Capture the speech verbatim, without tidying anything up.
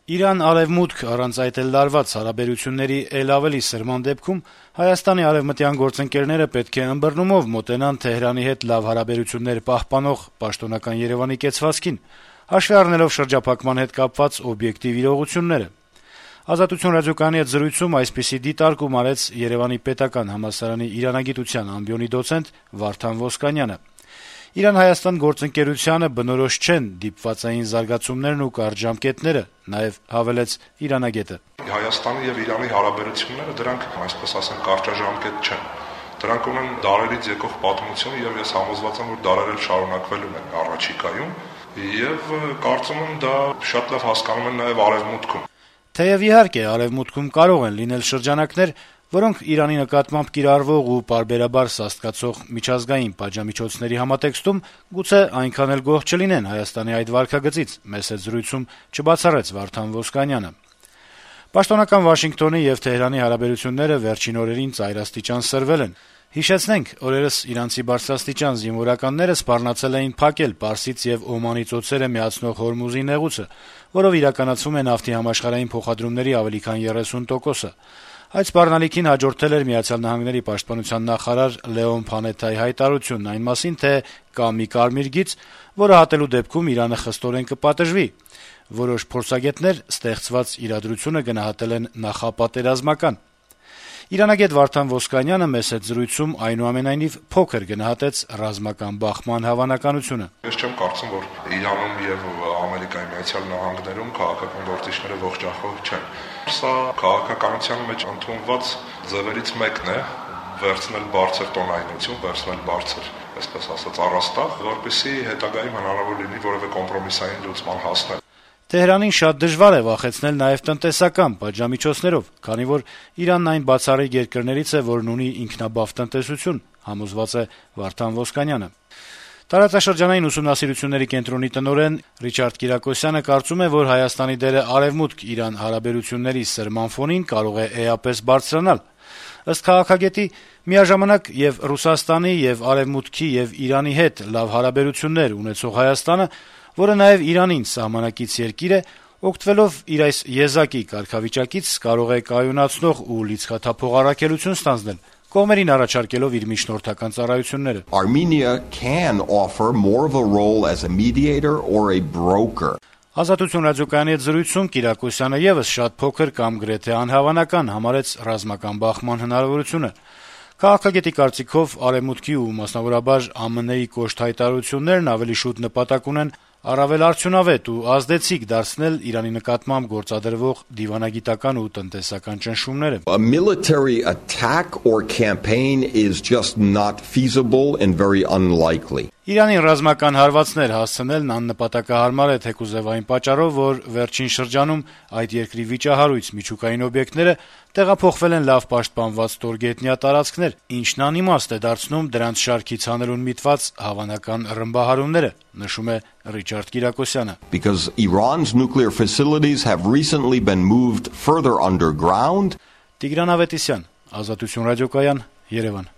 Իրան-արևմուտք առանց այդ էլ լարված հարաբերությունների էլ ավելի սրման դեպքում Հայաստանի արևմտյան գործընկերները պետք է ըմբռնումով մոտենան Թեհրանի հետ լավ հարաբերություններ պահպանող պաշտոնական Երեւանի կեցվածքին, հաշվի առնելով շրջափակման հետ կապված օբյեկտիվ իրողությունները։ «Ազատություն» ռադիոկայանի հետ զրույցում այսպիսի դիտարկում արեց Երեւանի պետական համալսարանի իրանագիտության ամբիոնի դոցենտ Վարդան Ոսկանյանը։ Իրան-Հայաստան գործընկերությանը բնորոշ չեն դիպվածային զարգացումներն ու կարճ ժամկետները, նաեւ հավելեց իրանագետը. Հայաստանի եւ Իրանի հարաբերությունները դրանք, այսպես ասեմ, կարճաժամկետ չեն։ Դրանք ունեն դարերից եկող պատմություն եւ ես համոզված եմ, որ դարերել շարունակվելու են առաջիկայում եւ կարծում եմ դա շատ լավ հասկանում են նաեւ արևմուտքում։ Թեեւ իհարկե արևմուտքում կարող են լինել շրջանակներ, որոնք Իրանի նկատմամբ կիրառվող ու պարբերաբար սաստկացող միջազգային պատժամիջոցների համատեքստում գուցե այնքան էլ գոհ չլինեն Հայաստանի այդ վարքագծից, մեծ հետ զրույցում չբացառեց Վարդան Ոսկանյանը։ Պաշտոնական Վաշինգտոնի եւ Թեհրանի հարաբերությունները վերջին օրերին ծայրաստիճան սրվել են։ Հիշեցնենք, օրերս իրանցի բարձրաստիճան զինվորականները սպառնացել էին փակել Պարսից եւ Օմանի ծոցերը միացնող Հորմուզի նեղուցը, որով իրականացվում է նավթի համաշխարհային փոխադրումների ավելի քան երեսուն տոկոսը։ Այդ սպառնալիքին հաջորդել էր Միացյալ Նահանգների պաշտպանության նախարար Լեոն Փանեթայի հայտարարությունն այն մասին, թե կա մի կարմիր գիծ, որը հատելու դեպքում Իրանը խստորեն կպատժվի։ Որոշ փորձագետներ ստեղծված իրադրությունը գնահատել են նախապատերազմական։ Իրանագետ Վարդան Ոսկանյանը մեծ հետ զրույցում այնուամենայնիվ փոքր գնահատեց ռազմական բախման հավանականությունը։ Ես չեմ կարծում, որ Իրանում եւ Ամերիկայի Միացյալ Նահանգներում քաղաքական գործիչները ողջախոհ չեն։ Սա քաղաքականության մեջ ընդունված ձևերից մեկն է՝ վերցնել բարձր տոնայնություն, վերցնել բարձր, այսպես ասած, առաստաղ, որպեսզի հետագայում հնարավոր լինի որևէ կոմպրոմիսային լուծման հասնել։ Թեհրանին շատ դժվար է վախեցնել նաեւ տնտեսական պատժամիջոցներով, քանի որ Իրանն այն բացառիկ երկրներից է, որն ունի ինքնաբավ տնտեսություն, համոզված է Վարդան Ոսկանյանը։ Տարածաշրջանային ուսումնասիրությունների կենտրոնի տնօրեն Ռիչարդ Կիրակոսյանը կարծում է, որ Հայաստանի դերը արևմուտք-Իրան հարաբերությունների սրման ֆոնին կարող է էապես բարձրանալ։ Ըստ քաղաքագետի, միաժամանակ եւ Ռուսաստանի, եւ Արևմուտքի, եւ Իրանի հետ լավ հարաբերություններ ունեցող Հայաստանը, որը նաեւ Իրանին սահմանակից երկիր է, օգտվելով իր այս եզակի կարգավիճակից կարող է կայունացնող ու լիցքաթափող առաքելություն ստանձնել, կողմերին առաջարկելով իր միջնորդական ծառայությունները։ Armenia can offer more of a role as a mediator or a broker. Ազատություն ռադիոկայանի հետ զրույցում Կիրակոսյանը եւս շատ փոքր կամ գրեթե անհավանական համարեց ռազմական բախման հնարավորությունը։ Քաղաքագետի կարծիքով Արևմուտքի ու մասնավորաբար Α M N-ի կոշտ հայտարարություններն ավելի շուտ նպատակ ունեն առավել արդյունավետ ու ազդեցիկ դարձնել Իրանի նկատմամբ գործադրվող դիվանագիտական ու տնտեսական ճնշումները։ A military attack or campaign is just not feasible and very unlikely. Իրանին ռազմական հարվածներ հասցնելն աննպատակահարմար է թեկուզեւ այն պատճառով, որ վերջին շրջանում այդ երկրի վիճահարույց միջուկային օբյեկտները տեղափոխվել են լավ պաշտպանված ստորգետնյա տարածքներ, ինչն անիմաստ է դարձնում դրանց շարքից հանելուն միտված հավանական ռմբահարումները, նշում է Ռիչարդ Կիրակոսյանը. Because Iran's nuclear facilities have recently been moved further underground. Տիգրան Ավետիսյան, Ազատություն ռադիոկայան, Երևան։